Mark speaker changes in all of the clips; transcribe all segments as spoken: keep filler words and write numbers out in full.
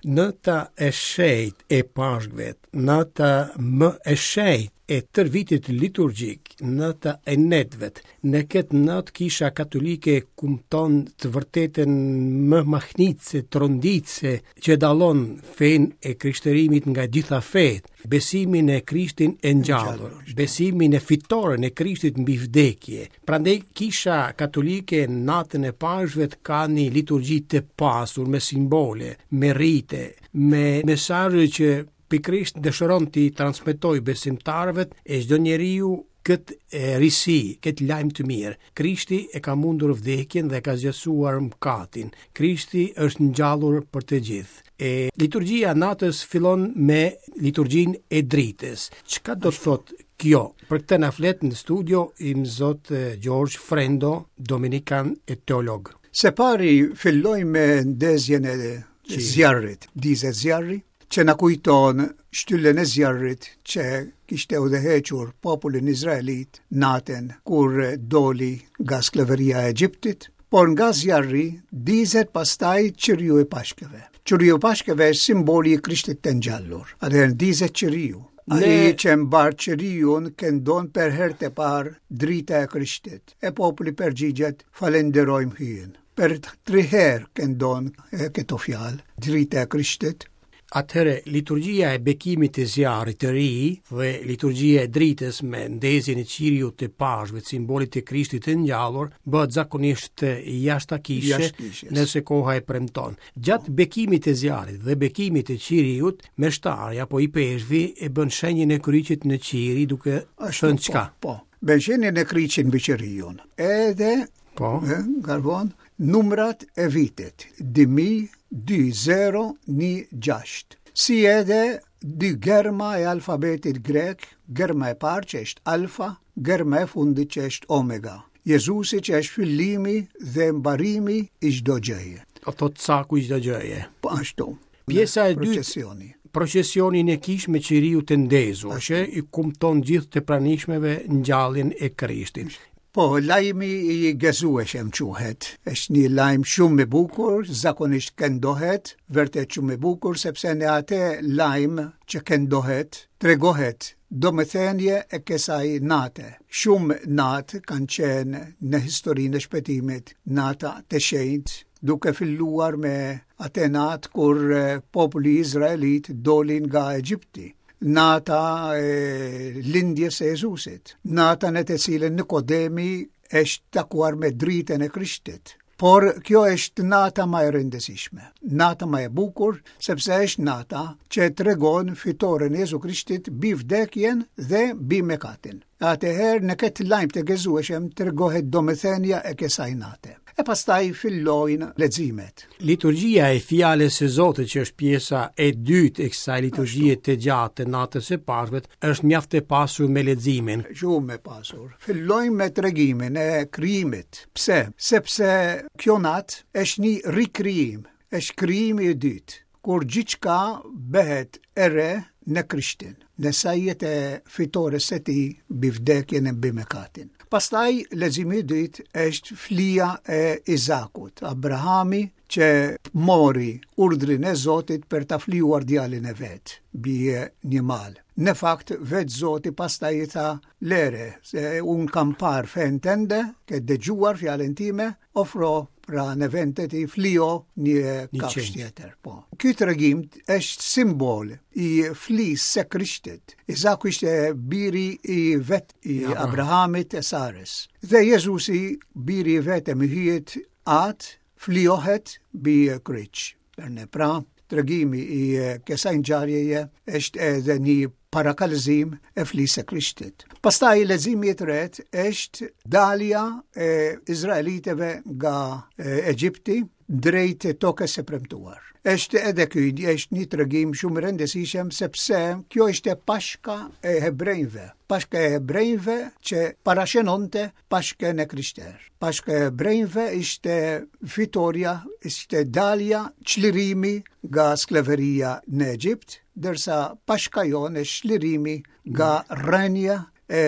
Speaker 1: Nata e shenjtë e Pashkëve, nata më e shenjtë e tërë vitit liturgjik, nata e netëve. Në këtë natë Kisha Katolike kumton të vërtetën më mahnitëse, tronditëse, që dallon fenë e krishterimit nga gjitha fetë, besimin e Krishtin e ngjallur, besimin e fitoren e Krishtit mbi vdekje. Prandaj Kisha Katolike natën e Pashkëve ka një liturgji të pasur me simbole, me rite, me mesazhe që pikërisht dëshiron t'i transmetoj besimtarëve e çdo njeriu këtë risi, këtë lajm të mirë. Krishti e ka mundur vdekjen dhe ka zgjesuar mëkatin. Krishti është ngjallur për të gjithë. E liturgjia natës fillon me liturgjinë e dritës. Çka do të thotë kjo? Për këtë na flet në studio Imzot George Frendo, dominikan e teolog.
Speaker 2: Se pari filloj me ndezjen e zjarrit, dizet zjarri, që na kujton shtyllën e zjarrit që kishte udhëhequr popullin izraelit natën kur doli nga skleveria e Egjiptit, por nga zjarri dizet pastaj qiriu e Pashkëve. Qiriu e Pashkëve është simboli i Krishtit të ngjallur. Atëherë dizet qiriu. Ai që mbar qiriun këndon për herë të parë drita e Krishtit. E populli përgjigjet, falenderojmë Hyjin. Për tri herë këndon këto fjalë, drita e Krishtit.
Speaker 1: Atëherë, liturgjia e bekimit të zjarrit të ri dhe liturgjia e dritës me ndezjen e qiriut të Pashkëve, simbolit të Krishtit të ngjallur, bëhet zakonisht jashtë kishe, nëse koha e premton. Gjatë bekimit të zjarrit dhe bekimit të qiriut, meshtari apo i peshvi e bën shenjën e kryqit në qiri duke thënë çka?
Speaker 2: Po, po. Bën shenjën e kryqit mbi qiriun. Edhe
Speaker 1: po,
Speaker 2: e, garbon numrat e vitit, dy mijë dy zero një gjashtë, si edhe dy germa e alfabetit grek, germa e parë që është alfa, germa e fundit që është omega. Jezusi që është fillimi dhe mbarimi i çdo gjëje.
Speaker 1: Ato caku i çdo gjëje.
Speaker 2: Po ashtu.
Speaker 1: Pjesa e dytë, procesioni. Procesioni në kishë me qiriu të ndezur, që i kumton gjithë të pranishmeve ngjalljen e Krishtit.
Speaker 2: Po, lajmi i gëzueshëm quhet. Është një lajm shumë i bukur, zakonisht këndohet, vërtet shumë i bukur, sepse në atë lajm që këndohet, tregohet domethënie e kësaj nate. Shumë natë kanë qenë në historinë e shpëtimit, nata të shenjtë, duke filluar me atë natë kur populli izraelit doli nga Egjipti. Nata e lindjes së Jezusit, nata në të cilën Nikodemi është takuar me dritën e Krishtit. Por kjo është nata më e rëndësishme, nata më e bukur, sepse është nata që tregon fitoren e Jezu Krishtit mbi vdekjen dhe mbi mëkatin. Atëherë në këtë lajm të gëzueshëm tregohet domethënia e kësaj nate. E pastaj fillojnë leximet.
Speaker 1: Liturgjia e fjalës së Zotit, që është pjesa e dytë e kësaj liturgjie të gjatë të natës së Pashkëve, është mjaft e pasur me leximin.
Speaker 2: Shumë e pasur. Fillojmë me tregimin e krijimit. Pse? Sepse kjo natë është një rikrijim, është krijimi i dytë, kur gjithçka bëhet e re në Krishtin, në sajet e fitores së tij mbi vdekjen e mbi mëkatin. Pastaj leximi i dytë është flia e Izakut, Abrahami që mori urdhrin e Zotit për ta flijuar djalin e vet mbi një mal. Në fakt, vetë Zoti pastaj i tha, lere, se unë kam parë fenë tënde, ke dëgjuar fjalën time, ofro pra në vend të tij flijo një kafshë tjetër. Po. Ky tregim është simbol i flisë së Krishtit. Izaku ishte biri i vet i Abrahamit e Sarës. Dhe Jezusi, biri i vetëm i Hyjit At, flijohet mbi kryq. Për ne pra, tregimi i kësaj ngjarjeje është edhe një parakalzim e flisë së Krishtit. Pastaj leximi i tretë është dalja e izraelitëve nga Egjipti drejt tokës së premtuar. Është edhe ky është një tregim shumë i rëndësishëm sepse kjo ishte Pashka e hebrejve. Pashka e hebrejve që parashënonte Pashkën e Krishterë. Pashka e hebrejve ishte fitoria, ishte dalja, çlirimi nga skleveria në Egjipt, ndërsa Pashka jonë është çlirimi nga rënia e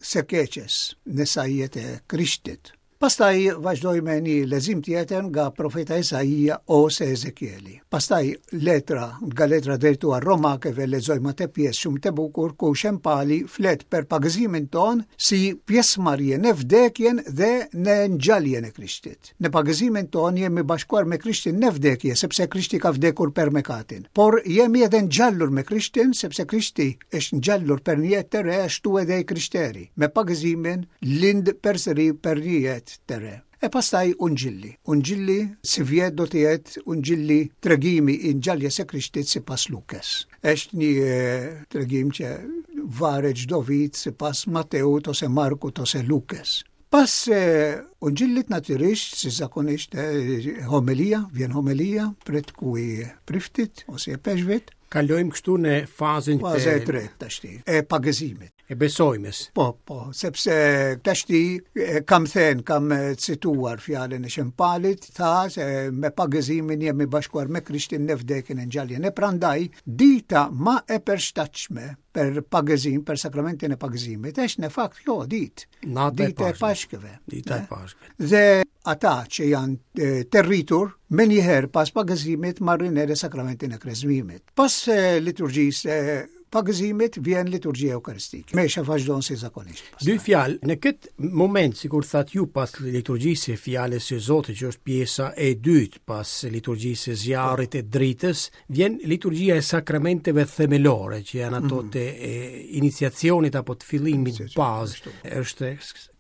Speaker 2: së keqes në sajet e Krishtit. Pastaj vazhdoj me një lexim tjetër nga profeta Isaia ose Ezekieli. Pastaj letra, nga letra drejtuar romakëve lexojmë atë pjesë shumë të bukur ku Shën Pali flet për pagëzimin ton si pjesëmarrje në vdekjen dhe në ngjalljen e Krishtit. Në pagëzimin ton jemi bashkuar me Krishtin në vdekje, sepse Krishti ka vdekur për mëkatin. Por jemi edhe ngjallur me Krishtin, sepse Krishti është ngjallur për një jetë të re, ashtu edhe i krishteri. Me pagëzimin lind përsëri për një jetë të re. E pastaj Ungjilli. Ungjilli, si vjet do të jetë Ungjilli tregimi i ngjalljes së Krishtit sipas Lukës. Është një e, tregim që varet çdo vit sipas Mateut ose Markut ose Lukës. Pas e, Ungjillit natyrisht, si zakonisht, e, homelia, vjen homelia, pretku i priftit ose e peshvit.
Speaker 1: Kalojmë kështu në fazën
Speaker 2: Faza e tretë tashti, e pagëzimit.
Speaker 1: E besojmes.
Speaker 2: Po, po, sepse tashti e, kam thënë, kam e, cituar fjalën e Shën Palit, tha se me pagëzimin jemi bashkuar me Krishtin në vdekjen e ngjalljen. E prandaj dita ma e përshtatshme për pagëzim, për sakramentin e pagëzimit, është në fakt kjo ditë,
Speaker 1: Nata e
Speaker 2: dita e
Speaker 1: Pashkëve.
Speaker 2: Pashkëve.
Speaker 1: Dita e Pashkëve.
Speaker 2: Dhe ata që janë e, të rritur, me njëherë pas pagëzimit marrin edhe sakramentin e krezmimit. Pas e, liturgjisë e pagëzimit vjen liturgjia eukaristike. Mesha vazhdon si zakonisht. pastaj.
Speaker 1: Dy fjalë, në këtë moment, sikur thatë ju pas liturgjisë së fjalës së Zotit, që është pjesa e dytë pas liturgjisë së zjarrit e dritës, vjen liturgjia e sakramenteve themelore, që janë ato
Speaker 2: Mhm.
Speaker 1: të e, iniciacionit apo të fillimit bazë. Është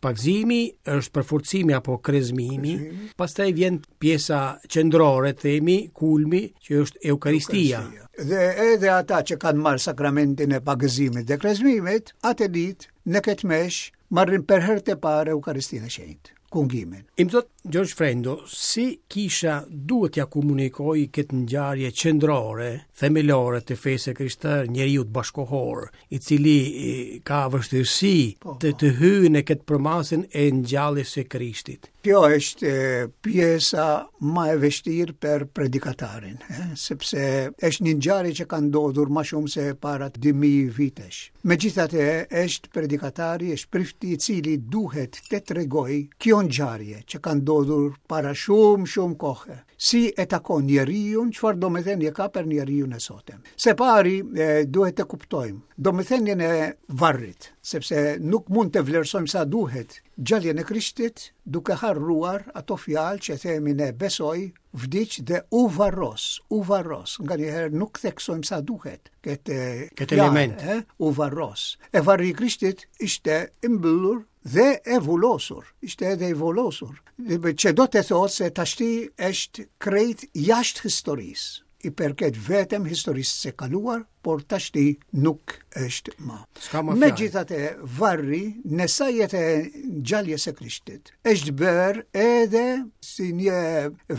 Speaker 1: pagëzimi, është përforcimi apo krezmimi, pastaj vjen pjesa qendrore, themi, kulmi, që është Eukaristia.
Speaker 2: Dhe edhe ata që kanë marrë sakramentin e pagëzimit dhe krezmimit, atë ditë në këtë mesh marrin për herë të parë Eukaristinë e Shenjtë, kungimin.
Speaker 1: Imzot Gjergj Frendo, si kisha duhet t'ja komunikoj këtë ngjarje qendrore, themelore të fesë krishterë njeriut bashkohor, i cili e, ka vështirësi
Speaker 2: Po,
Speaker 1: të,
Speaker 2: po.
Speaker 1: të hyjë në këtë përmasën e ngjalljes së Krishtit.
Speaker 2: Kjo është e, pjesa ma e vështirë për predikatarin, e, sepse është një ngjarje që ka ndodhur më shumë se para dy mijë vitesh. Megjithatë, është predikatari, është prifti i cili duhet të tregoj kjo ngjarje që ka ndodhur para shumë, shumë kohë. Si e takon njeriun, çfarë domethënie ka për njeriun e sotëm. Se pari, e, duhet të kuptojmë domethënien e varrit, sepse nuk mund të vlerësojmë sa duhet gjalljen e Krishtit duke harruar ato fjalë që themi ne besoj, vdiq dhe u varros, u varros. Nganjëherë nuk theksojmë sa duhet këtë
Speaker 1: Këtë
Speaker 2: fjalë,
Speaker 1: element.
Speaker 2: e, u varros. E varri i Krishtit ishte i mbyllur dhe e vulosur, ishte edhe i vulosur. Dhe Që do të thotë se tashti është krejt jashtë historisë. I përket vetëm historisë së kaluar, por tashti nuk është ma.
Speaker 1: S'ka ma fjalë.
Speaker 2: Megjithatë, varri në sajet e ngjalljes së Krishtit është bërë edhe si një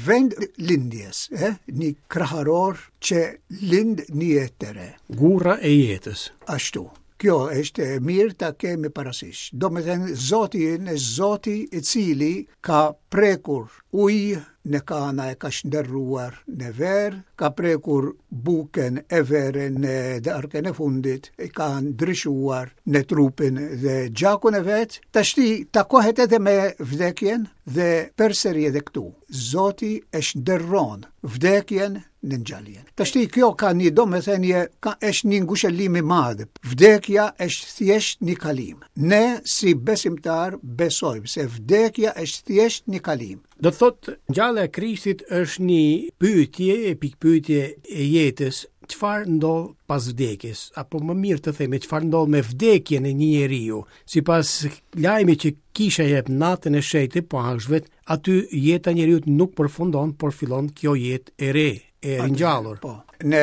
Speaker 2: vend lindjes, eh? Një kraharor që lind një jetë të re.
Speaker 1: Gurra e jetës.
Speaker 2: Ashtu. Kjo është e mirë ta kemi parasysh. Do me thënë, Zoti ynë është Zoti i cili ka prekur ujë në kana e ka shndërruar në verë, ka prekur buken e verën në darkën e fundit, e ka ndryshuar në trupin dhe gjakun e vet. Tashti takohet edhe me vdekjen dhe përsëri edhe këtu. Zoti e shndërron vdekjen në ngjalljen. Tashti kjo ka një domethënie, ka është një ngushëllim i madh. Vdekja është thjesht një kalim. Ne si besimtar besojmë se vdekja është thjesht një kalim.
Speaker 1: Do të thotë, ngjallja e Krishtit është një pyetje, e pikpyetje e jetës, çfarë ndodh pas vdekjes, apo më mirë të themi çfarë ndodh me vdekjen e një njeriu. Sipas lajmit që kisha jep natën e shenjtë të Pashkëve, aty jeta e njeriut nuk përfundon, por fillon kjo jetë e re, e ringjallur.
Speaker 2: Po. Në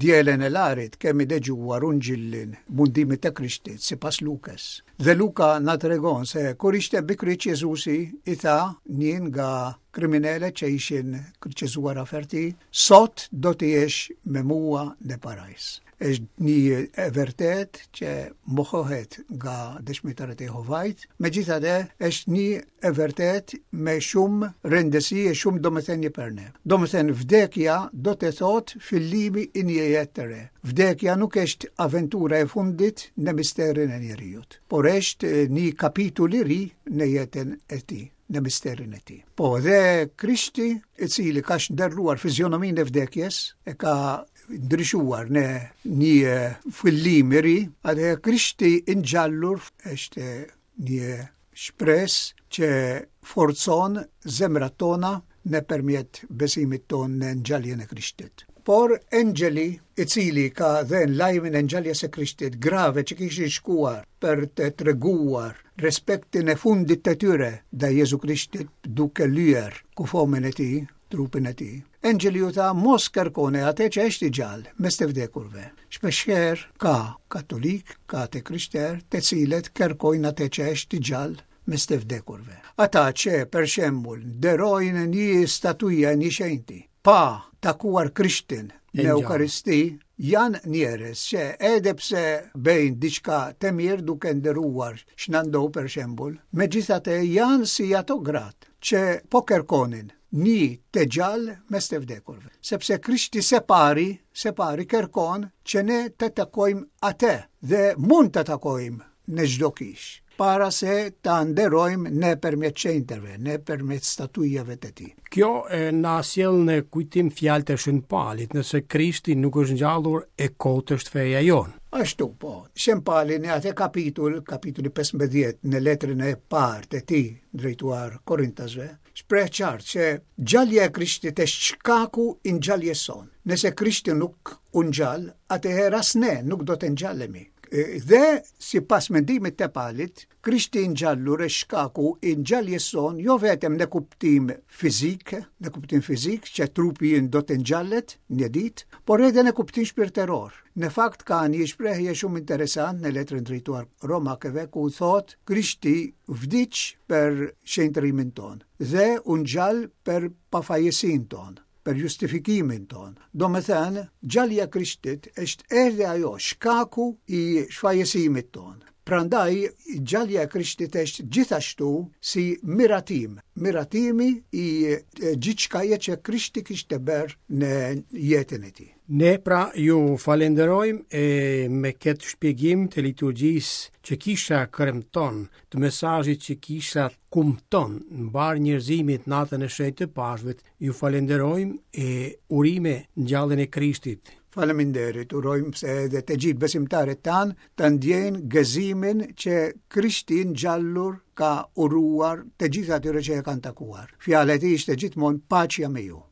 Speaker 2: dielën e Larit kemi dëgjuar ungjillin mundimit të Krishtit sipas Lukës. Dhe Luka na tregon se kur ishte mbi kryq Jezusi i tha një nga kriminalët që ishin kryqëzuar afër tij, sot do të jesh me mua në parajs. Është një e vërtet që mohohet nga dëshmitarët e Jehovait, megjithatë është një e vërtet me shumë rëndësi e shumë domethënie për ne. Domethënë vdekja do të thotë fillimi i një jetë të re. Vdekja nuk është aventura e fundit në misterin e njeriut, por është një kapitull i ri në jetën e tij, në misterin e tij. Po, dhe Krishti, i cili ka shndërruar fizionominë e vdekjes, e ka ndryshuar në një fillim i ri, atëherë Krishti i ngjallur është një shpresë që forcon zemrat tona nëpërmjet besimit tonë në ngjalljen e Krishtit. Por engjëlli, i cili ka dhënë lajmin e ngjalljes së Krishtit grave që kishin shkuar për të treguar respektin e fundit të tyre ndaj Jezu Krishtit duke lyer kufomën e tij, trupin e tij. Engjëlli u tha, mos kërkoni atë që është i gjallë mes të vdekurve. Shpeshherë ka katolik, ka të krishterë, të cilët kërkojnë atë që është i gjallë mes të vdekurve. Ata që, për shembull, nderojnë një statujë një shenjti, pa takuar Krishtin në Eukaristi, janë njerëz që edhe pse bëjnë diçka të mirë duke nderuar Shën Ando për shembull, megjithatë janë si ato gratë që po kërkonin një të gjallë mes të vdekurve. Sepse Krishti se pari, se pari kërkon që ne të takojmë atë dhe mund të takojmë në çdo kishë, para se ta nderojmë nëpërmjet shenjtërve, nëpërmjet statujave të tij.
Speaker 1: Kjo e, na sjell në kujtim fjalët e Shën Palit, nëse Krishti nuk është ngjallur, e kotë është feja jonë.
Speaker 2: Ashtu po. Shën Pali në atë kapitull, kapitulli pesëmbëdhjetë, në letrën e parë të tij drejtuar Korintasve, shpreh qartë që ngjallja e Krishtit është shkaku i ngjalljes sonë. Nëse Krishti nuk u ngjall, atëherë as ne nuk do të ngjallemi. Dhe, sipas mendimit të Palit, Krishti i ngjallur është shkaku i ngjalljes sonë, jo vetëm në kuptim fizik, në kuptim fizik që trupi ynë do të ngjallet një ditë, por edhe në kuptim shpirtëror. Në fakt ka një shprehje shumë interesant në letrën drejtuar Romakëve ku thotë Krishti vdiq për shenjtërimin tonë dhe u ngjall për pafajësinë tonë, për justifikimin tonë. Do me thënë, ngjallja e Krishtit është edhe ajo shkaku i shfajësimit tonë. Prandaj, ngjallja e Krishtit është gjithashtu si miratim, miratimi i gjithçkaje që Krishti kishte bërë në jetën e tij.
Speaker 1: Ne pra ju falenderojmë e me këtë shpjegim të liturgjisë që kisha kremton, të mesazhit që kisha kumton në mbarë njerëzimit natën e shenjtë të Pashkëve, ju falenderojmë e urime ngjalljen e Krishtit.
Speaker 2: Faleminderit, urojmë se edhe të gjithë besimtarët tanë të ndjejnë gëzimin që Krishti ngjallur ka uruar të gjithë atyre që e kanë takuar. Fjala e tij ishte gjithmonë paqja me ju.